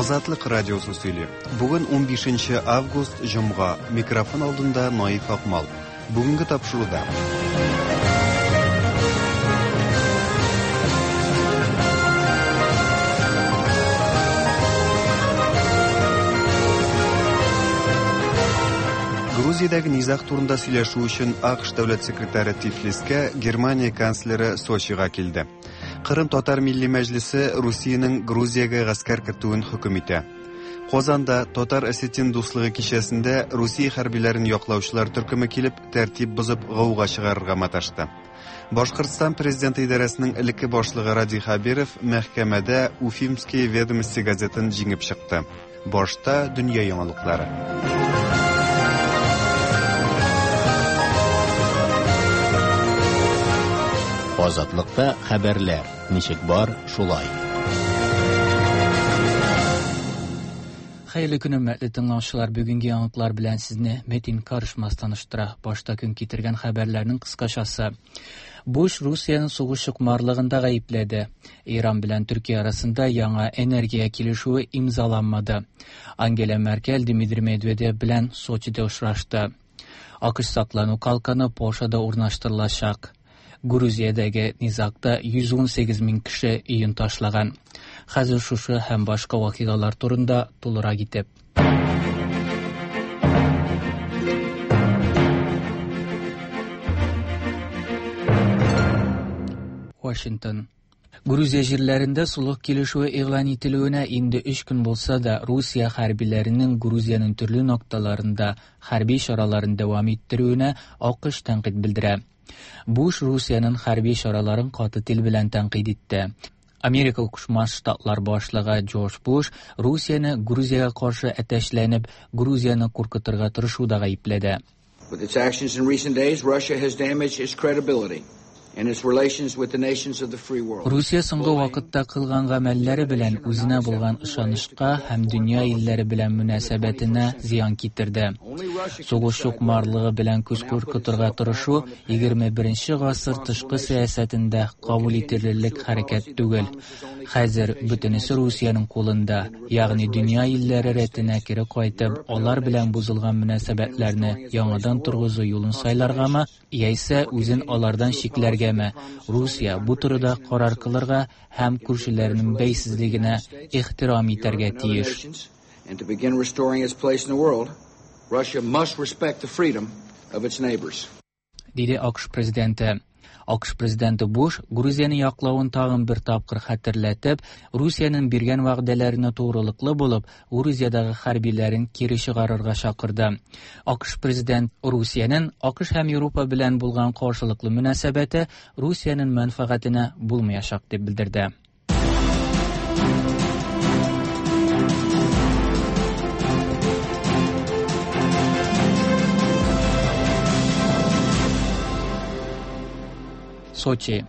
Азатлык радиосы сөйли. Бүген 15 август, җомга. Микрофон алдында Наиф Акмал. Бүгенге тапшыруда. Грузиядәге низаг турында сөйләшү өчен АКШ дәүләт секретаре Тифлискә, Германия канцлеры Сочига килде. Кырым татар милли мәҗлесе Русиянең Грузиягә гаскәр кертүен хөкем итә. Казанда татар осетин дуслыгы кичәсендә Русия хәрбиләрен яклаучылар төркеме килеп, тәртип бозып, гауга чыгарырга маташты. Башкортстан президенты идарәсенең элекке башлыгы Радий Хәбиров мәхкәмәдә Уфимские ведомости газетын җиңеп чыкты. Башта дөнья яңалыклары. Азатлыкта хәбәрләр ничек бар, шулай. Хәерле көн, хөрмәтле тыңлаучылар. Бүгенге яңалыклар белән сезне Метин Карышмас таныштыра. Башта көн китергән хәбәрләрнең кыскачасы. Буш Русияне сугыш чукмарлыгында гаепләде. Иран белән Төркия арасында яңа энергия килешүе имзаланмады. Ангела Меркель Дмитрий Медведев белән Сочида очрашты. АКШ саклану калканы Польшада урнаштырылачак. Грузиядәге низагта 118 мең кеше өен ташлаган. Хәзер шушы һәм башка вакыйгалар турында тулырак итеп. Вашингтон. Грузия җирләрендә сулык килешүе игълан ителүенә инде өч көн булса да, Русия хәрбиләренең Грузиянең төрле нокталарында хәрби чараларын дәвам иттерүенә АКШ тәнкыйть белдерә. Буш Русиянең хәрби чараларын каты тел белән тәнкыйть итте. Америка Кушма Штатлар башлыгы Джордж Буш Русияне Грузиягә каршы әтәчләнеп, Грузияне куркытырга тырышуда гаепләде. With its actions in recent days, Russia has damaged its credibility and its relations with the nations of the free world. Русия соңгы вакытта кылган гамәлләре белән үзенә булган ышанычка һәм дөнья илләре белән мөнәсәбәтенә зыян китерде. Сугыш чукмарлыгы белән күз куркытырга тырышу 21 гасыр тышкы сәясәтендә кабул ителерлек хәрәкәт түгел. Хәзер бөтенесе Русиянең кулында, ягъни дөнья илләре рәтенә кире кайтып, алар белән бозылган мөнәсәбәтләрне яңадан торгызу юлын сайларгамы, яисә үзен алардан чикләргәме? Русия бу турыда карар кылырга һәм күршеләренең бәйсезлегенә ихтирам итәргә тиеш. And to begin restoring its place in the world, Russia must respect the freedom of its neighbors. Диде АКШ президенты. АКШ президенты Буш Грузияне яклавын тагын бер тапкыр хәтерләтеп, Русиянең биргән вәгъдәләренә тугрылыклы булып, Грузиядәге хәрбиләрен кире чыгарырга чакырды. АКШ президент Русиянең АКШ һәм Европа белән булган каршылыклы мөнәсәбәте Русиянең мәнфәгатенә булмаячак дип белдерде. Сочи.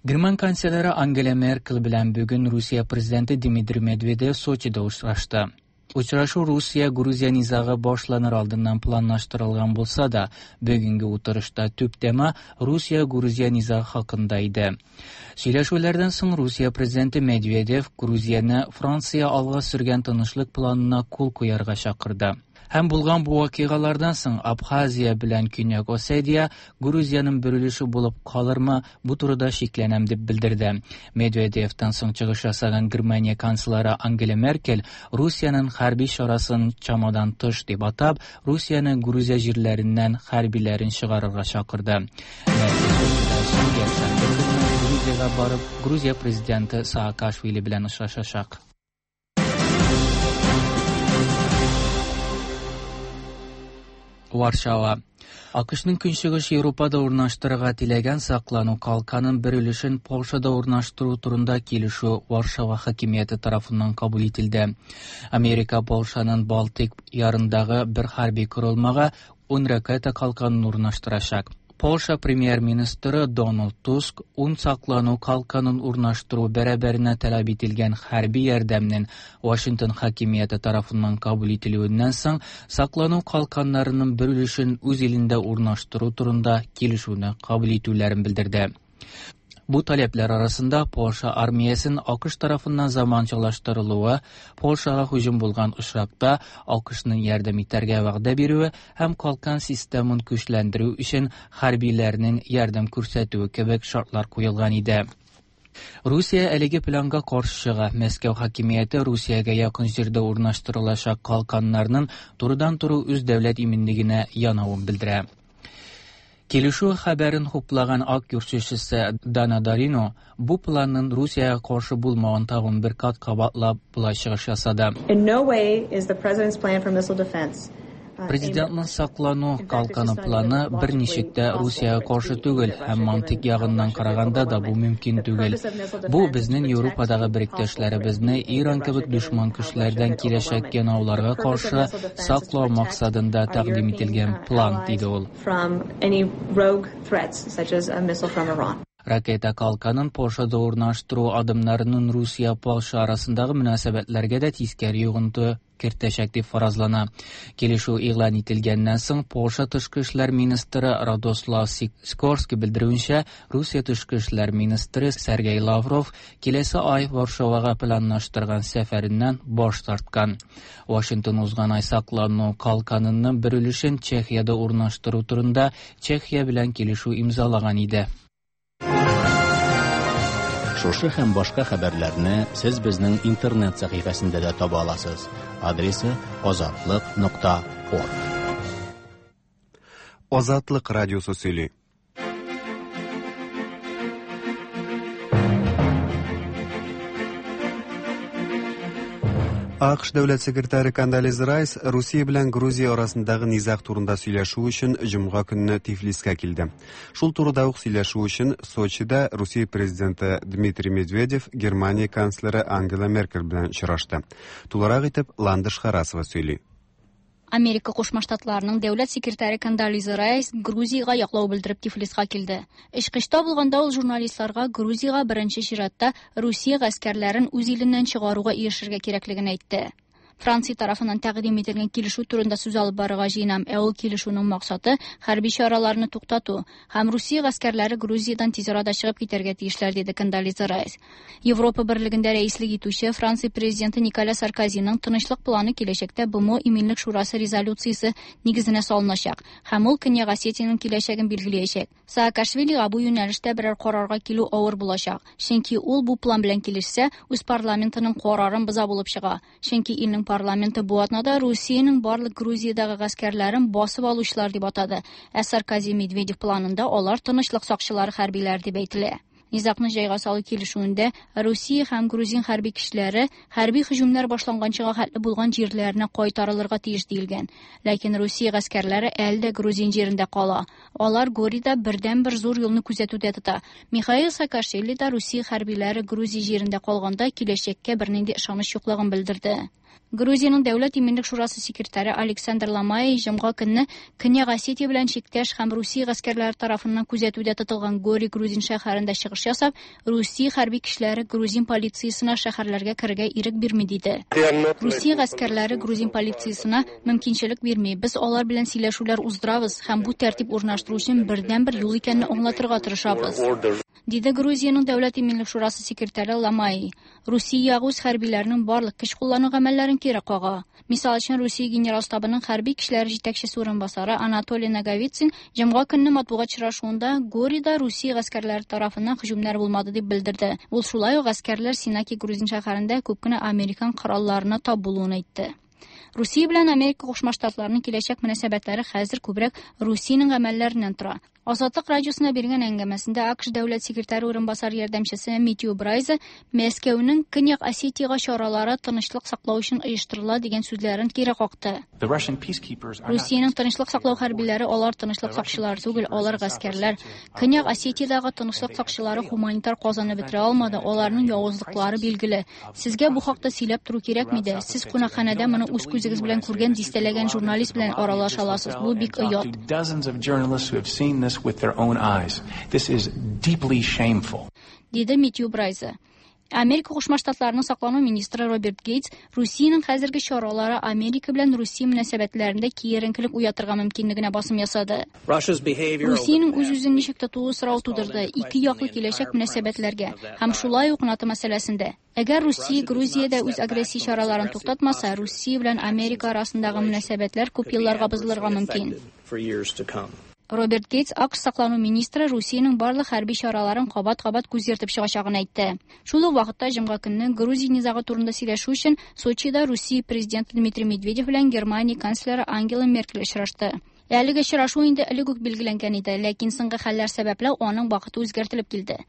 Герман канцлеры Ангела Меркель белән бүген Русия президенты Дмитрий Медведев Сочида очрашты. Очрашу Русия-Грузия низагы башланыр алдыннан планлаштырылган булса да, бүгенге утырышта төп тема Русия-Грузия низагы хакында иде. Сөйләшүләрдән соң Русия президенты Медведев Грузияне Франция алга сөргән тынычлык планына кул куярга чакырды. Һәм булган бу вакыйгалардан соң Абхазия белән Көньяк Осетия Грузиянең бер өлеше булып калырмы, бу турыда шикләнәм дип белдерде. Медведевтан соң чыгыш ясаган Германия канцлеры Ангела Меркель Русиянең хәрби чарасын чамадан тыш дип атап, Русияне Грузия җирләреннән хәрбиләрен чыгарырга чакырды. Меркель Сочидан соң якшәмбе көнне Грузиягә барып, Грузия президенты Саакашвили белән очрашачак. Варшава. АКШның Көнчыгыш Европада урнаштырырга теләгән саклану калканын бер өлешен Польшада урнаштыру турында килешү Варшава хакимияте тарафыннан кабул ителде. Америка Польшаның Балтыйк ярындагы бер хәрби корылмага 10 ракета калканын урнаштырачак. Польша премьер-министры Дональд Туск ун саклану калканын урнаштыру бәрабәренә таләп ителгән хәрби ярдәмнең Вашингтон хакимияте тарафыннан кабул ителүеннән соң саклану калканнарының бер өлешен үз илендә урнаштыру турында килешүне кабул итүләрен белдерде. Бу таләпләр арасында Польша армиясен АКШ тарафыннан заманчалаштырылуы, Польшага һөҗүм булган очракта АКШның ярдәм итәргә вәгъдә бирүе һәм калкан системын көчләндерү өчен хәрбиләрнең ярдәм күрсәтүе кебек шартлар куелган иде. Русия әлеге планга каршы чыга. Мәскәү хакимияте Русиягә якын җирдә урнаштырылачак калканнарның турыдан-туры үз дәүләт иминлегенә янавын белдерә. Килешү хәбәрен хуплаган Ак йорт сүзчесе Дана Дорино бу планның Русиягә каршы булмавын тагын бер кат кабатлап болай чыгыш ясады. In no way is the president's plan for missile defense Президентның саклану калканы планы берничек тә Русиягә каршы түгел һәм мантыйк ягыннан караганда да бу мөмкин түгел. Бу безнең Европадагы беректәшләребезне Иран кебек дошман көчләрдән киләчәк янауларга каршы саклау максатында тәкъдим ителгән план, диде ул. From any rogue threats, such as a missile from Iran. Ракета калканын Польшада урнаштыру адымнарының Русия-Польша арасындагы мөнәсәбәтләргә дә тискәре йогынты кертәчәк дип фаразлана. Килешү игълан ителгәннән соң Польша тышкы эшләр министры Радослав Сикорский белдерүенчә, Русия тышкы эшләр министры Сергей Лавров киләсе ай Варшавага планлаштырган сәфәреннән баш тарткан. Вашингтон узган ай саклану калканының бер өлешен Чехиядә урнаштыру турында Чехия белән килешү имзалаган иде. Шушы һәм башка хәбәрләрне сез безнең интернет сәхифәсендә дә таба аласыз. Адресы: azatliq.org. Азатлык радиосы сөйли. АКШ дәүләт секретаре Кондолиза Райс Русия белән Грузия арасындагы низаг турында сөйләшү өчен җомга көнне Тифлискә килде. Шул турыда ук сөйләшү өчен Сочида Русия президенты Дмитрий Медведев Германия канцлеры Ангела Меркель белән очрашты. Тулырак итеп Ландыш Харасова сөйли. Америка Кушма Штатларының дәүләт секретаре Кондолиза Райс Грузиягә яклау белдереп Тифлиска килде. Очкычта булганда ул журналистларга Грузиягә беренче чиратта Русия гаскәрләрен үз иленнән чыгаруга ирешергә кирәклеген әйтте. Франция тарафыннан тәкъдим ителгән килешү турында сүз алып барырга җыенам, ә ул килешүнең максаты хәрби чараларны туктату һәм Русия гаскәрләре Грузиядән тиз арада чыгып китәргә тиешләр, диде Кондолиза Райс. Европа берлегендә рәислек итүче Франция президенты Николя Саркозиның тынычлык планы киләчәктә БМО Иминлек шурасы резолюциясе нигезенә салыначак һәм ул Көньяк Осетиянең киләчәген билгеләячәк. Саакашвилига бу юнәлештә берәр карарга килү авыр булачак, чөнки ул бу план белән килешсә, үз парламентының карарын боза булып чыга. Чөнки илнең парламенты бу атнада Русиянең барлык Грузиядагы гаскәрләрен басып алучылар дип атады. Ә Саркози Медведев планында алар тынычлык сакчылары хәрбиләр дип әйтелә. Низагны җайга салу килешүендә Русия һәм грузин хәрби көчләре хәрби һөҗүмнәр башланганчыга хәтле булган җирләренә кайтарылырга тиеш диелгән. Ләкин Русия гаскәрләре әле дә грузин җирендә кала. Алар Горида бердән-бер зур юлны күзәтүдә тота. Михаил Саакашвили да Русия хәрбиләре Грузия җирендә калганда киләчәккә бернинди ышаныч юклыгын белдерде. Грузиянең Дәүләт иминлек шурасы секретаре Александр Ламай җомга көнне Көньяк Осетия белән чиктәш һәм Русия гаскәрләре тарафыннан күзәтүдә тотылган Гори грузин шәһәрендә чыгыш ясап, Русия хәрби көчләре грузин полициясенә шәһәрләргә керергә ирек бирми диде. Русия гаскәрләре грузин полициясенә мөмкинчелек бирми. Без алар белән сөйләшүләр уздырабыз һәм бу тәртип урнаштыру өчен бердән-бер юл икәнен аңлатырга тырышабыз, диде Грузиянең Дәүләт иминлек шурасы секретаре Ламай. Русия ягы үз хәрбиләренең барлык көч куллану гамәлләрен кире кага. Мисал өчен, Русия генерал штабының хәрби көчләре җитәкчесе урынбасары Анатолий Наговицын җомга көнне матбугат очрашуында Горида Русия гаскәрләре тарафыннан һөҗүмнәр булмады дип белдерде. Ул шулай ук гаскәрләр Синаки грузин шәһәрендә күп кенә американ коралларына тап булуын әйтте. Русия белән Америка Кушма Штатларының киләчәк мөнәсәбәтләре хәзер күбрәк Русиянең гамәлләреннән тора. Азатлык радиосына биргән әңгәмәсендә АКШ дәүләт секретаре урынбасары ярдәмчесе Мэтью Брайза Мәскәүнең Көньяк Осетиягә чаралары тынычлык саклау өчен оештырыла дигән сүзләрен кире какты. Русиянең тынычлык саклау хәрбиләре алар тынычлык сакчылары түгел, алар гаскәрләр. Көньяк Осетиядагы тынычлык сакчылары гуманитар казаны бетерә алмады, аларның явызлыклары билгеле. Сезгә бу хакта сөйләп тору кирәкми дә. Сез кунакханәдә моны үз күзегез белән күргән дистәләгән журналист белән аралаша аласыз. Бу бик оят. Dozens of journalists who have seen this with their own eyes. This is deeply shameful. Диде Мэтью Брайза. Америка Кушма Штатларының саклану министры Роберт Гейтс Русиянең хәзерге чаралары Америка белән Русия мөнәсәбәтләрендә киеренкелек уятырга мөмкинлегенә басым ясады. Русиянең үз-үзен ничек тотуы сорау тудырды ике яклы киләчәк мөнәсәбәтләргә һәм шулай ук НАТО мәсьәләсендә. Әгәр Русия Грузиядә үз агрессия чараларын туктатмаса, Русия белән Америка арасындагы мөнәсәбәтләр күп елларга бозылырга мөмкин. Роберт Гейтс АКШ саклану министры Русиянең барлык хәрби чараларын кабат-кабат күз йөртеп чыгачагын әйтте. Шул ук вакытта җомга көнне Грузия низагы турында сөйләшү өчен Сочида Русия президенты Дмитрий Медведев белән Германия канцлеры Ангела Меркель очрашты. Әлеге очрашу инде элек үк билгеләнгән иде, ләкин соңгы хәлләр сәбәпле аның вакыты үзгәртелеп килде.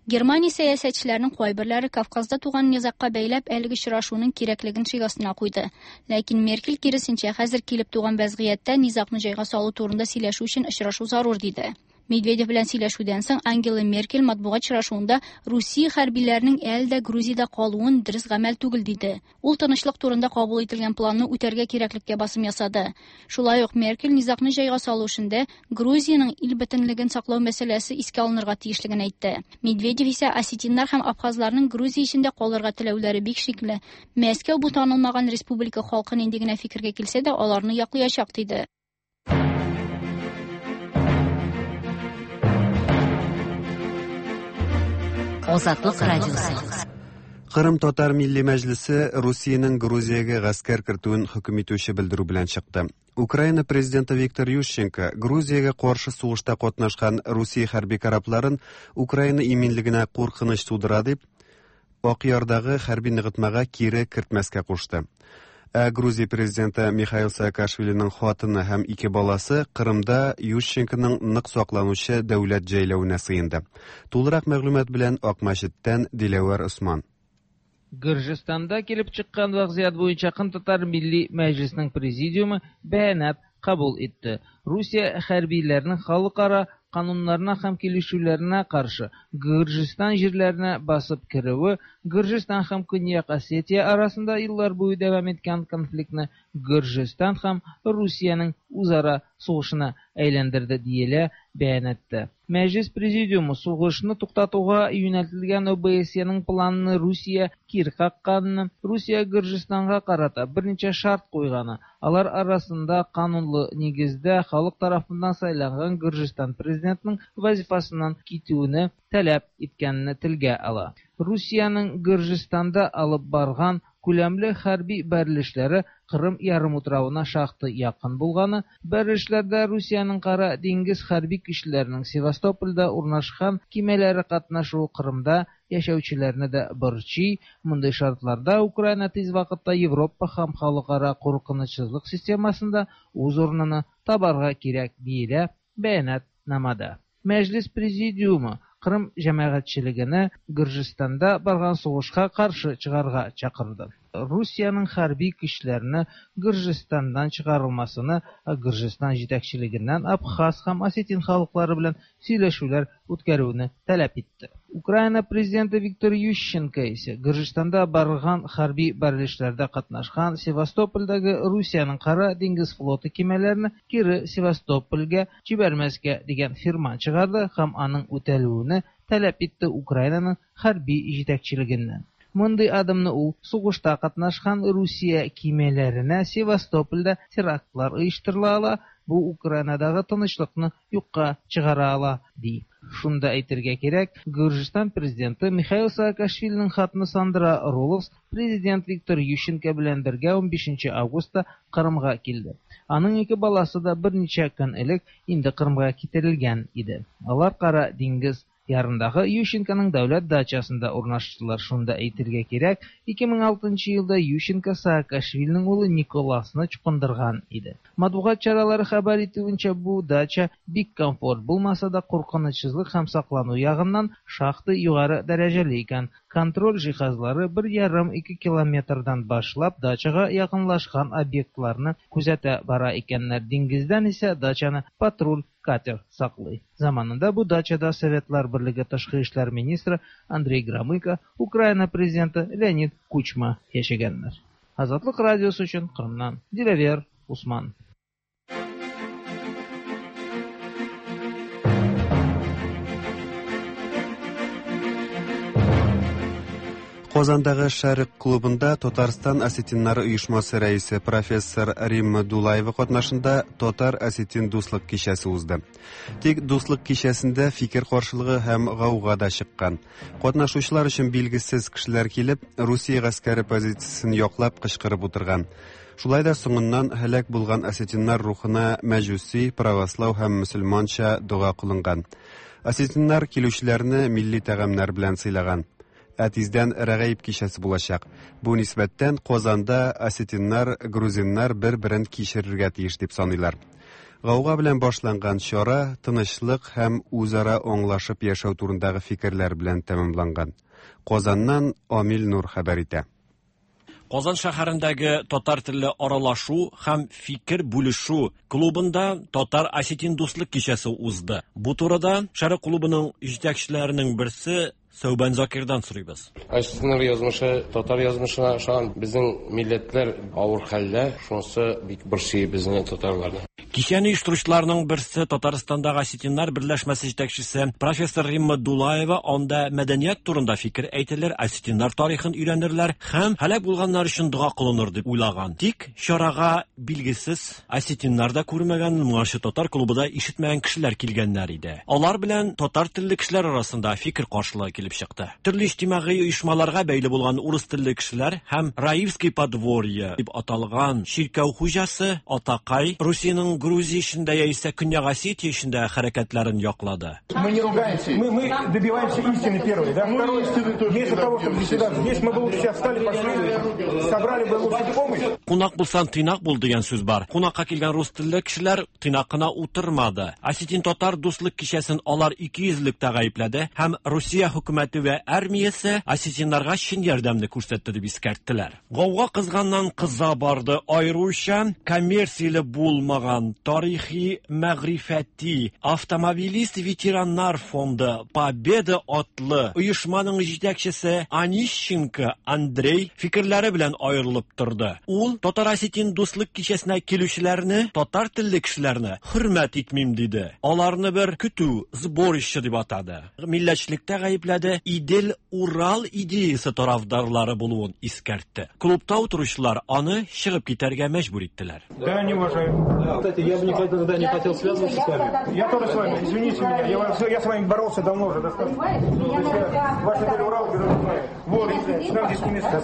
Германия сәясәтчеләренең кайберләре Кавказда туган низагка бәйләп әлеге очрашуның кирәклеген шик астына куйды. Ләкин Меркель киресенчә, хәзер килеп туган вәзгыятьтә низагны җайга салу турында сөйләшү өчен очрашу зарур диде. Медведев белән сөйләшүдән соң Ангела Меркель матбугат очрашуында Русия хәрбиләренең әле дә Грузиядә калуын дөрес гамәл түгел диде. Ул тынычлык турында кабул ителгән планны үтәргә кирәклеккә басым ясады. Шулай ук Меркель низагны җайга салу эшендә Грузиянең ил бөтенлеген саклау мәсьәләсе искә алынырга тиешлеген әйтте. Медведев исә осетиннар һәм абхазларның Грузия эчендә калырга теләүләре бик шикле. Мәскәү бу танылмаган республика халкы нинди генә фикергә килсә дә, аларны яклаячак диде. Азатлык радиосы. Кырым татар милли мәҗлесе Русиянең Грузиягә гаскәр кертүен хөкем итүче белдерү белән чыкты. Украина президенты Виктор Ющенко Грузиягә каршы сугышта катнашкан Русия хәрби корабларын Украина иминлегенә куркыныч тудыра дип, Акъярдагы хәрби ныгытмага кире кертмәскә кушты. Ә Грузия президенты Михаил Саакашвилиның хатыны һәм ике баласы Кырымда Ющенконың нык сакланучы дәүләт җәйләвенә сыенды. Тулырак мәгълүмат белән Акмәчеттән Диләвәр Осман. Гөрҗистанда килеп чыккан вазгыять буенча Кырым Милли Мәҗлисенең президиумы бәянат кабул итте. Русия хәрбиләренең халыкара кануннарына һәм килешүләренә каршы Гөрҗистан җирләренә басып керүе Гөрҗистан һәм Көньяк Осетия арасында еллар буе дәвам иткән конфликтны Гөрҗистан һәм Русиянең үзара сугышына әйләндерде диелә бәянатта. Мәҗлис президиумы сугышны туктатуга юнәлтелгән ОБСЕның планын Русия кире какканын, Русия Гөрҗистанга карата берничә шарт куйганы, алар арасында канунлы нигездә халык тарафыннан сайланган Гөрҗистан президентының вазифасыннан китүне таләп иткәнне телгә ала. Русиянең Гөрҗистанда алып барган күләмле хәрби бәрелешләре Кырым ярымутравына шактый якын булганы, бәрелешләрдә Русиянең Кара диңгез хәрби көчләренең Севастопольдә урнашкан кимәләре катнашуы Кырымда яшәүчеләрне дә борчый. Мондый шартларда Украина тиз вакытта Европа һәм халыкара куркынычсызлык системасында үз урынын табарга кирәк диелә бәянатнамада. Мәҗлис президиумы Кырым җәмәгатьчелегенә Гөрҗистанда барган сугышка каршы чыгарга чакырды. Русиянең хәрби көчләренә Гөрҗистаннан чыгарылмасыны Гөрҗистан җитәкчелегеннән Абхаз һәм осетин халыклары белән сөйләшүләр үткәрүне таләп итте. Украина президенты Виктор Ющенко исә Гөрҗистанда барган хәрби бәрелешләрдә катнашкан Севастопольдәге Русиянең Кара диңгез флоты кимәләрен кире Севастопольгә җибәрмәскә дигән фирман чыгарды һәм аның үтәлүен таләп итте Украинаның хәрби җитәкчелегеннән. Мондый адымны ул сугышта катнашкан Русия кимәләренә Севастопольдә терактлар оештырыла ала, бу Украинадагы тынычлыкны юкка чыгара ала, ди. Шунда әйтергә кирәк, Гөрҗистан президенты Михаил Саакашвилинең хатыны Сандра Роловс президент Виктор Ющенко белән бергә 15 августта Кырымга килде. Аның ике баласы да берничә көн элек инде Кырымга китерелгән иде. Алар Кара диңгез ярындагы Ющенконың дәүләт дачасында урнаштылар. Шунда әйтергә кирәк, 2006 елда Ющенко Саакашвилинең улы Николасны чукындырган иде. Матбугат чаралары хәбәр итүенчә, бу дача бик комфорт булмаса да, куркынычсызлык һәм саклану ягыннан шактый югары дәрәҗәле икән. Контроль җиһазлары 1,5-2 километрдан башлап дачага якынлашкан объектларны күзәтә бара икәннәр. Диңгездән исә дачаны патруль катер саклый. Заманында бу дачада Советлар Берлеге тышкы эшләр министры Андрей Громыко, Украина президенты Леонид Кучма яшәгәннәр. Азатлык радиосы өчен Кырымнан Диләвер Усман. Казандагы Шәрык клубында Татарстан осетиннары оешмасы рәисе профессор Римма Дулаева катнашында татар-осетин дуслык кичәсе узды. Тик дуслык кичәсендә фикер каршылыгы һәм гауга да чыккан. Катнашучылар өчен билгесез кешеләр килеп, Русия гаскәре позициясен яклап кычкырып утырган. Шулай да соңыннан һәлак булган осетиннар рухына мәҗүси, правослау һәм мөселманча дога кылынган. Осетиннар килүчеләрне милли тәгамнәр белән сыйлаган. Ә тиздән Рәгаиб кичәсе булачак. Бу нисбәттән Казанда осетиннар, грузиннар бер-берен кичерергә тиеш дип саныйлар. Гауга белән башланган чара тынычлык һәм үзара аңлашып яшәү турындагы фикерләр белән тәмамланган. Казаннан Амил Нур хәбәр итә. Казан шәһәрендәге татар телле аралашу һәм фикер бүлешү клубында татар осетин дуслык кичәсе узды. Бу турыда Шәрык клубының җитәкчеләренең берсе Сәүбән Закирдан сорыйбыз. Осетиннар язмышы татар язмышына охшаган. Безнең милләтләр авыр хәлдә, шунысы бик борчый безне, татарларны. Кичәне оештыручыларның берсе Татарстандагы осетиннар берләшмәсе җитәкчесе профессор Римма Дулаева анда мәдәният турында фикер әйтелер, осетиннар тарихын өйрәнерләр һәм һәлак булганнар өчен дога кылыныр дип уйлаган. Тик чарага билгесез осетиннар да күрмәгән, моңарчы татар клубы да ишетмәгән кешеләр килгәннәр иде. Алар белән татар телле кешеләр арасында фикер каршылыгы килеп чыкты. Төрле иҗтимагый оешмаларга бәйле булган урыс телле кешеләр һәм Раивский подворье дип аталган чиркәү хуҗасы Атакай Русиянең Грузия эчендә яисә Көньяк Осетия эчендә хәрәкәтләрен яклады. Мы не ругаемся, мы добиваемся истины первой, да? Второе, вместо того, чтобы заседать здесь, мы бы лучше сейчас встали, пошли, собрали бы лучше помощь. Кунак булсаң, тыйнак бул дигән сүз бар. Кунакка килгән рус телле кешеләр тыйнак кына утырмады. Осетин татар дуслык кичәсен алар икейөзлелектә гаепләде һәм Русия хөкүмәте вә армиясе осетиннарга чын ярдәмне күрсәтте дип искәрттеләр. Гауга кызганнан кыза барды, аеруча коммерцияле булмаган тарихи мәгърифәти автомобилист ветераннар фонды Победа атлы оешманың җитәкчесе Онищенко Андрей фикерләре белән аерылып торды. Ул татар осетин дуслык кичәсенә килүчеләрне, татар телле кешеләрне хөрмәт итмим диде. Аларны бер көтү, сборище дип атады. Милләтчелектә гаепләде, Идел Урал идеясы тарафдарлары булуын искәртте. Клубта утыручылар аны чыгып китәргә мәҗбүр иттеләр. Да, не уважаю. Кстати, я бы никогда не хотел связываться с вами. Я тоже с вами, извините меня, я с вами боролся давно уже достаточно. Ваш Идел Урал, вот, нам здесь не место.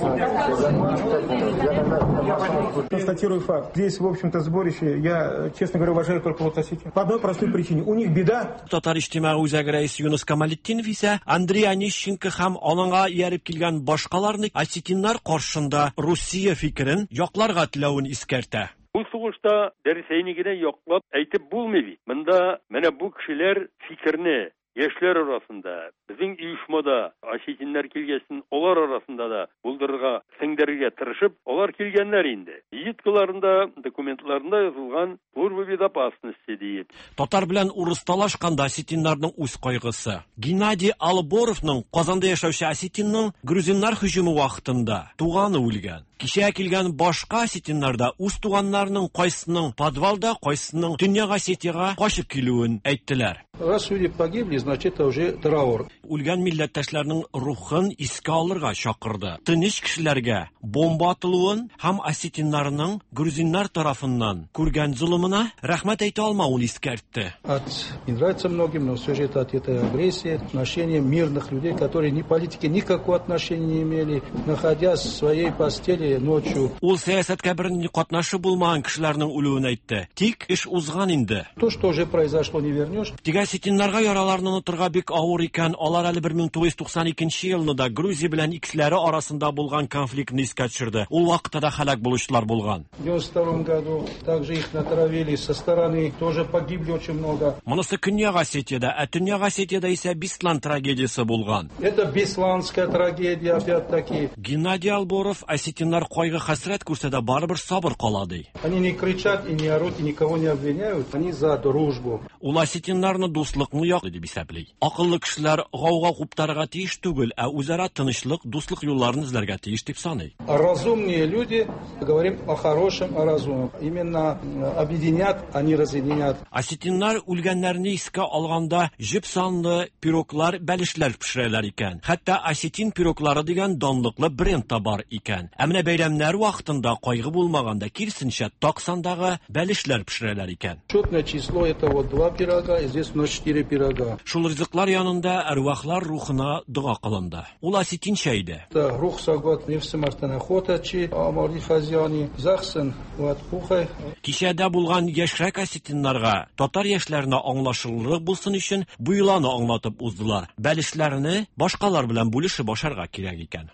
Констатирую факт. Здесь, в общем-то, сборище, я, честно говоря, уважаю только вот осетин. По одной простой причине. У них беда. Татар иҗтимагый үзәге рәисе Юныс Камалетдинов исә Андрей Онищенко һәм аныңа ияреп килгән башкаларны осетиннар каршында Русия фикерен якларга теләвен искәртә. Бу сугышта Рәсәйне генә яклап әйтеп булмый бит. Монда менә бу кешеләр фикерне яшьләр арасында, безнең оешмада осетиннар килгәсен алар арасында да булдырырга, сеңдерергә тырышып, алар килгәннәр инде. Визиткаларында, документларында язылган служба безопасности диеп. Татар белән урыс талашканда осетиннарның үз кайгысы. Геннадий Алборовның Казанда яшәүче осетинның грузиннар һөҗүме вакытында туганы үлгән. Кичә килгән башка осетиннар да үз туганнарының кайсының подвалда, кайсының Төньяк Осетиягә качып килүен әйттеләр. Раз люди погибли, значит, это уже траур. Үлгән милләттәшләрнең рухын искә алырга чакырды. Тыныч кешеләргә бомба атылуын һәм осетиннарның грузиннар тарафыннан күргән золымына рәхмәт әйтә алмавын искәртте. От, не нравится многим, но все же это от этой агрессии, отношения мирных людей, которые ни политики никакого отношения не имели, находясь в своей постели ночью. Ул сәясәткә бернинди катнашы булмаган кешеләрнең үлүен әйтте. Тик эш узган инде. То, что уже произошло, не вернешь. Тик осетиннарга яраларны онытырга бик авыр икән. Алар әле 1992 елны да Грузия белән икесләре арасында булган конфликтны искә төшерде. Ул вакытта да һәлак булучылар булган. В 92 году также их натравили со стороны, тоже погибли очень много. Монысы Көньяк Осетиядә, ә Төньяк Осетиядә исә Беслан трагедиясе булган. Это Бесланская трагедия, опять-таки. Геннадий Алборов осетиннар кайгы хәсрәт күрсә дә барыбер сабыр кала ди. Они не кричат и не орут, и никого не обвиняют. Они за дружбу. Ул осетиннарны дуслыкны яклый дип исәпли. Акыллы кешеләр гауга куптарырга тиеш түгел, ә үзара тынычлык, дуслык юлларын эзләргә тиеш дип саный. Разумные люди, говорим о хорошем, о разумном. Именно объединят, а не разъединят. Осетиннар үлгәннәрне искә алганда җеп санлы пироглар, бәлешләр пешерәләр икән. Хәтта осетин пироглары дигән данлыклы бренд та бар икән. Ә менә бәйрәмнәр вакытында кайгы булмаганда, киресенчә, так сандагы бәлешләр пешерәләр икән. Четное число это вот два пирога, и здесь у нас четыре пирога. Шул ризыклар янында әрвахлар рухына дога кылынды. Ул осетинча иде. Рух сагот нефсемартанахотачи, амори хазяни, захсен, вот пухай. Кичәдә булган яшьрәк осетиннарга, татар яшьләренә аңлашылырлык булсын өчен бу йоланы аңлатып уздылар. Бәлешләрне башкалар белән бүлешеп ашарга кирәк икән.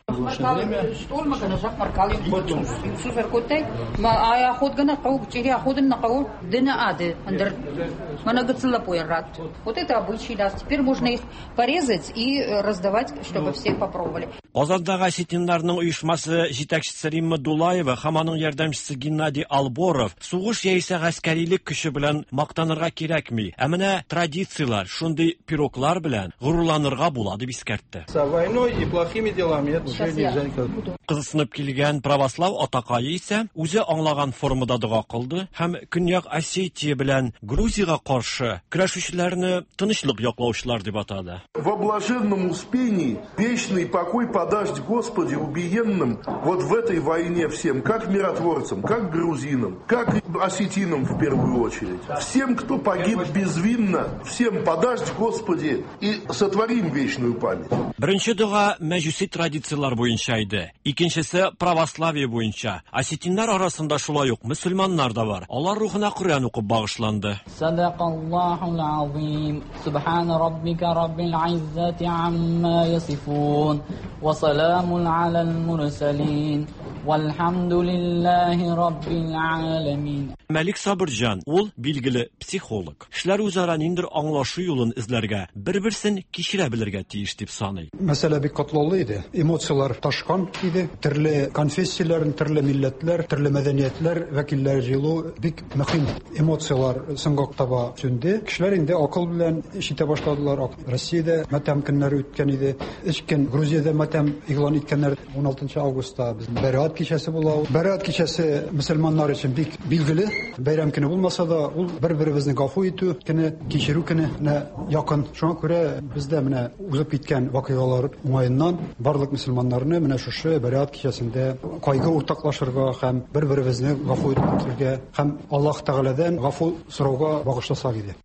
Вот это обычай, да. Теперь можно их порезать и раздавать, чтобы все попробовали. Казандагы осетиннарның оешмасы җитәкчесе Римма Дулаева һәм аның ярдәмчесе Геннадий Алборов сугыш яисә гаскәрилек көче белән мактанырга кирәкми, ә менә традицияләр, шундый пироглар белән горурланырга була дип искәртте. За войной и плохими делами это уже нельзя никак. Кызыксынып килгән православ атакае исә үзе аңлаган формада дога кылды һәм Көньяк Осетия белән Грузиягә каршы көрәшүчеләрне тынычлык яклаучылар дип атады. Во блаженном успении вечный покой подашь, Господи, убиенным вот в этой войне всем, как миротворцам, как грузинам, как осетинам в первую очередь. Всем, кто погиб безвинно, всем подашь, Господи, и сотворим вечную память. Беренче дога мәҗүси традицияләр буенча иде. Икенчесе православие буенча. Осетиннар арасында шулай ук мөселманнар да бар. Алар рухына Коръән укып багышланды. Садакаллахул азим. Субхана раббика раббил иззати амма ясифун. Ва саламун алал мурсалин. Вальхамдулиллахи раббил аламин. Мәлик Сабырҗан, ул билгеле психолог. Кешеләр үзара ниндидер аңлашу юлын эзләргә, бер-берсен кичерә белергә тиеш дип саный. Мәсьәлә бик катлаулы иде. Эмоцияләр ташкан иде. Төрле конфессияләр, төрле милләтләр, төрле мәдәниятләр вәкилләре җыелу бик мөһим. Эмоцияләр соңга таба сүнде. Кешеләр инде акыл белән эш итә башладылар. Россиядә матәм көннәре үткән иде. Өч көн Грузиядә матәм игълан иткәннәр. 16 августта безнең Бәраат кичәсе була. Бәраат кичәсе мөселманнар өчен бик билгеле. Бәйрәм көне булмаса да, ул бер-беребезне гафу итү көне, кичерү көненә якын. Шуңа күрә бездә менә узып киткән вакыйгалар уңаеннан барлык мөселманнарны менә шушы Бәраат кичәсендә кайгы уртаклашырга һәм бер-беребезне гафу итәргә һәм Аллаһ Тәгаләдән гафу сорауга багышласак иде.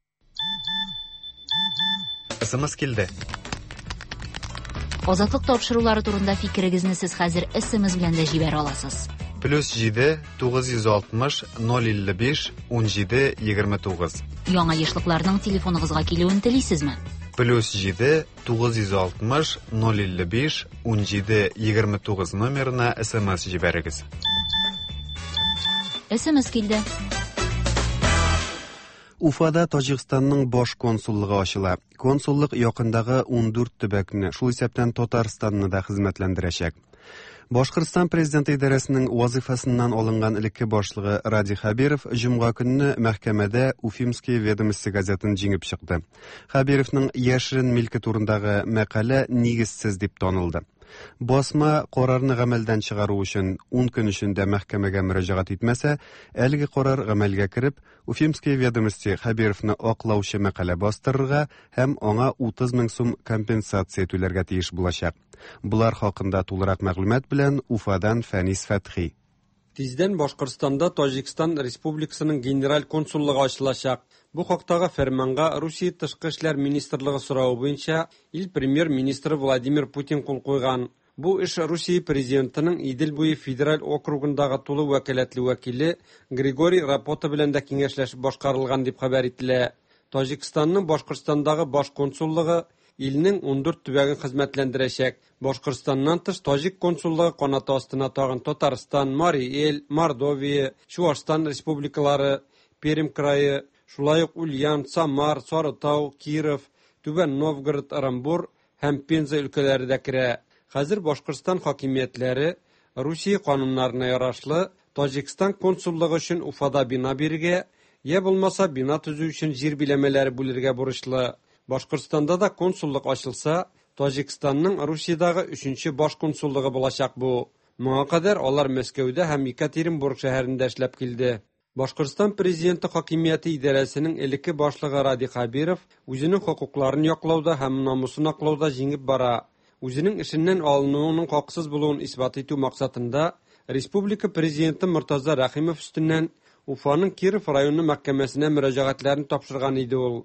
СМС килде. Азатлык тапшырулары турында фикерегезне сез хәзер СМС белән дә җибәрә аласыз. Плюс 7 960 055 17 29. Яңа ешлыкларның телефоныгызга килүен телисезме? Плюс 7 960 055 17 29 номерына СМС җибәрегез. СМС килде. Уфада Таҗикстанның баш консуллыгы ачыла. Консуллык якындагы 14 төбәкне, шул исәптән Татарстанны да хезмәтләндерәчәк. Башкортстан президенты идарәсенең вазифасыннан алынган элекке башлыгы Радий Хәбиров җомга көнне мәхкәмәдә Уфимские ведомости газетын җиңеп чыкты. Хәбировның яшерен милке турындагы мәкалә нигезсез дип танылды. Басма карарны гамәлдән чыгару өчен 10 көн эчендә мәхкәмәгә мөрәҗәгать итмәсә, әлеге карар гамәлгә кереп, Уфимские ведомости Хәбировны аклаучы мәкалә бастырырга һәм аңа 30 мең сум компенсация түләргә тиеш булачак. Болар хакында тулырак мәгълүмат белән Уфадан Фәнис Фәтхи. Тиздән Башкортстанда Таҗикстан Республикасының генераль консуллыгы ачылачак. Бу хактагы фәрманга Русия тышкы эшләр министрлыгы соравы буенча ил премьер-министры Владимир Путин кул куйган. Бу эш Русия президентының Идел буе федераль округындагы тулы вәкаләтле вәкиле Григорий Рапота белән дә киңәшләшеп башкарылган дип хәбәр ителә. Таҗикстанның Башкортстандагы баш консуллыгы илнең 14 төбәген хезмәтләндерәчәк. Башкортстаннан тыш таҗик консуллыгы канаты астына тагын Татарстан, Марий Эл, Мордовия, Чуашстан республикалары, Пермь крае, шулай ук Ульян, Самар, Сарытау, Киров, Түбән Новгород, Ырымбур һәм Пенза өлкәләре дә керә. Хәзер Башкортстан хакимиятләре Русия кануннарына ярашлы Таҗикстан консуллыгы өчен Уфада бина бирергә, я булмаса бина төзү өчен җир биләмәләре бүлергә бурычлы. Башкортстанда да консуллык ачылса, Таҗикстанның Русиядәге өченче баш консуллыгы булачак бу. Моңа кадәр алар Мәскәүдә һәм Екатеринбург шәһәрендә эшләп килде. Башкортстан президенты хакимияте идарәсенең элекке башлыгы Радий Хәбиров үзенең хокукларын яклауда һәм намусын аклауда җиңеп бара. Үзенең эшеннән алынуының хаксыз булуын исбат итү максатында республика президенты Мортаза Рәхимов өстеннән Уфаның Киров районы мәхкәмәсенә мөрәҗәгатьләрен тапшырган иде ул.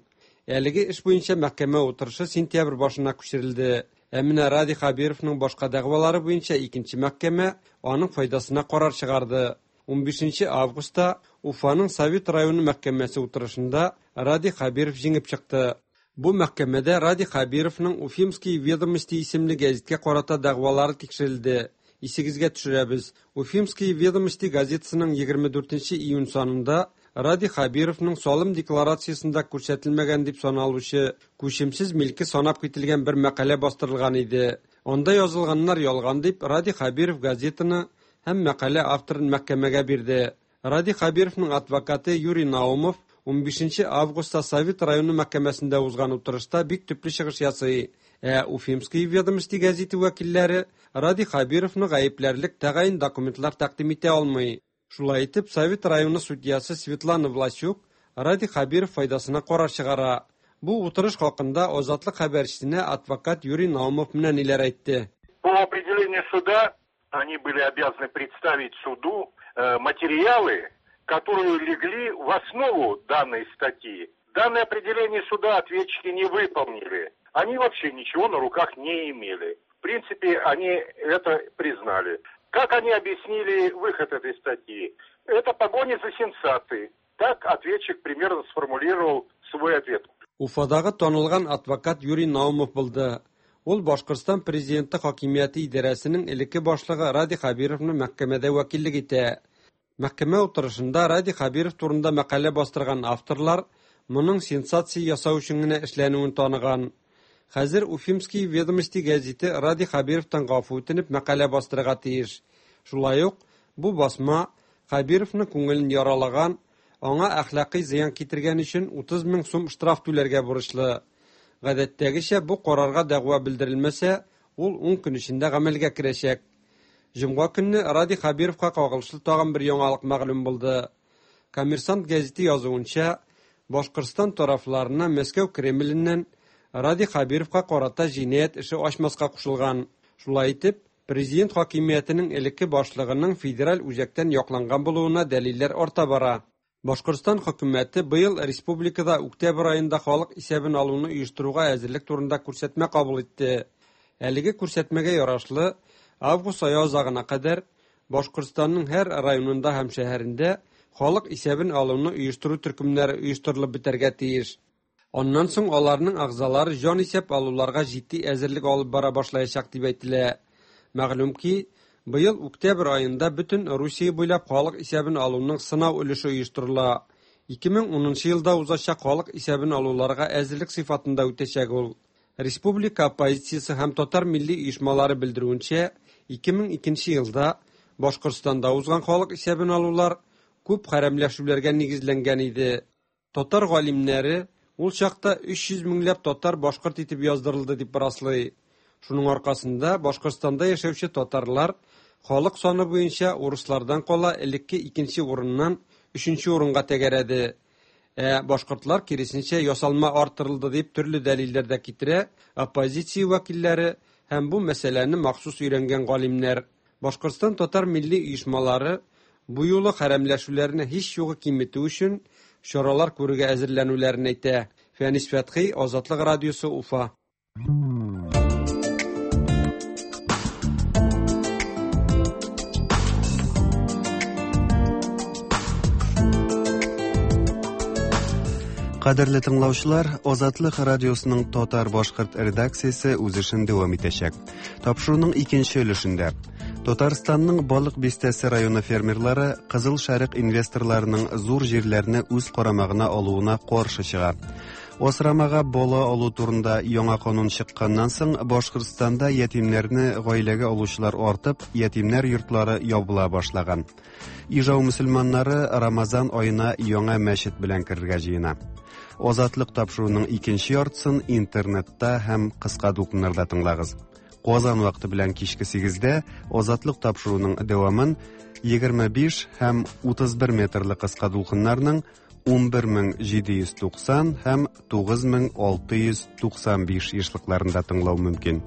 Әлеге эш буенча мәхкәмә утырышы сентябрь башына күчерелде. Ә менә Радий Хәбировның башка дәгъвалары буенча икенче мәхкәмә аның файдасына карар чыгарды. 15 августта Уфаның Совет районы мәхкәмәсе утырышында Радий Хәбиров җиңеп чыкты. Бу мәхкәмәдә Радий Хәбировның Уфимские ведомости исемле гәзиткә карата дәгъвалары тикшерелде. Исегезгә төшерәбез, Уфимские ведомости газетасының 24 июнь санында Радий Хәбировның салым декларациясендә күрсәтелмәгән дип саналучы күчемсез милке санап кителгән бер мәкалә бастырылган иде. Анда язылганнар ялган дип Радий Хәбиров газетаны һәм мәкалә авторын мәхкәмәгә бирде. Радий Хәбировның адвокаты Юрий Наумов 15 августта Совет районы мәхкәмәсендә узган утырышта бик төпле чыгыш ясый. Ә Уфимские ведомости гәзите вәкилләре Радий Хәбировны гаепләрлек тәгаен документлар тәкъдим итә алмый. Шулай итеп, Совет районы судьясы Светлана Власюк Радий Хәбиров файдасына карар чыгара. Бу утырыш хакында Азатлык хәбәрчесенә адвокат Юрий Наумов менә ниләр әйтте. По определению суда они были обязаны представить суду материалы, которые легли в основу данной статьи. Данное определение суда ответчики не выполнили. Они вообще ничего на руках не имели. В принципе, они это признали. Как они объяснили выход этой статьи? Это погоня за сенсацией. Так ответчик примерно сформулировал свой ответ. Уфадагы танылган адвокат Юрий Наумов булды. Ул Башкортстан президенты хакимияте идарәсенең элекке башлыгы Радий Хәбировны мәхкәмәдә вәкиллек итә. Мәхкәмә утырышында Радий Хәбиров турында мәкалә бастырган авторлар моның сенсация ясау өчен генә эшләнүен таныган. Хәзер Уфимские ведомости гәзите Радий Хәбировтан гафу үтенеп мәкалә бастырырга тиеш. Шулай ук бу басма Хәбировның күңелен яралаган, аңа әхлакый зыян китергән өчен 30 мең сум штраф түләргә бурычлы. Гадәттәгечә бу карарга дәгъва белдерелмәсә, ул 10 көн эчендә гамәлгә керәчәк. Җомга көнне Радий Хәбировка кагылышлы тагын бер яңалык мәгълүм булды. Коммерсант гәзите язуынча, Башкортстан тарафларына Мәскәү Кремленнән Радий Хәбировка карата җинаять эше ачмаска кушылган. Шулай итеп, президент хакимиятенең элекке башлыгының федераль үзәктән якланган булуына дәлилләр арта бара. Башкортстан хөкүмәте быел республикада октябрь аенда халык исәбен алуны оештыруга әзерлек турында күрсәтмә кабул итте. Әлеге күрсәтмәгә ярашлы, август ае азагына кадәр Башкортстанның һәр районында һәм шәһәрендә халык исәбен алуны оештыру төркемнәре оештырылып бетәргә тиеш. Аннан соң аларның әгъзалары җан исәп алуларга җитди әзерлек алып бара башлаячак дип әйтелә. Мәгълүм ки, быел октябрь аенда бөтен Русия буйлап халык исәбен алуның сынау өлеше оештырыла. 2010 елда узачак халык исәбен алуларга әзерлек сыйфатында үтәчәк ул. Республика оппозициясе һәм татар милли оешмалары белдерүенчә, 2002 елда Башкортстанда узган халык исәбен алулар күп хәрәмләшүләргә нигезләнгән иде. Татар галимнәре ул чакта 300 меңләп татар башкорт итеп яздырылды дип раслый. Шуның аркасында Башкортстанда яшәүче татарлар халык саны буенча урыслардан кала элекке икенче урыннан өченче урынга тәгәрәде. Ә башкортлар киресенчә ясалма арттырылды дип төрле дәлилләр дә китерә оппозиция вәкилләре һәм бу мәсьәләне махсус өйрәнгән галимнәр. Башкортстан татар милли оешмалары бу юлы хәрәмләшүләрне һич югы киметү өчен чаралар күрергә әзерләнүләрен әйтә. Фәнис Фәтхи, Азатлык радиосы, Уфа. Кадерле тыңлаучылар, Азатлык радиосының татар-башкорт редакциясе үз эшен дәвам итәчәк. Тапшыруның икенче өлешендә Татарстанның Балык Бистәсе районы фермерлары Кызыл Шәрык инвесторларының зур җирләрне үз карамагына алуына каршы чыга. Асрамага бала алу турында яңа канун чыкканнан соң Башкортстанда ятимнәрне гаиләгә алучылар артып, ятимнәр йортлары ябыла башлаган. Ижау мөселманнары Рамазан аена яңа мәчет белән керергә җыена. Азатлык тапшыруының икенче яртысын интернетта һәм кыска дулкыннарда тыңлагыз. Казан вакыты белән кичке 8-дә Азатлык тапшыруының дәвамын 25 һәм 31 метрлы кыска дулкыннарның 11790 һәм 9695 ешлыкларында тыңлау мөмкин.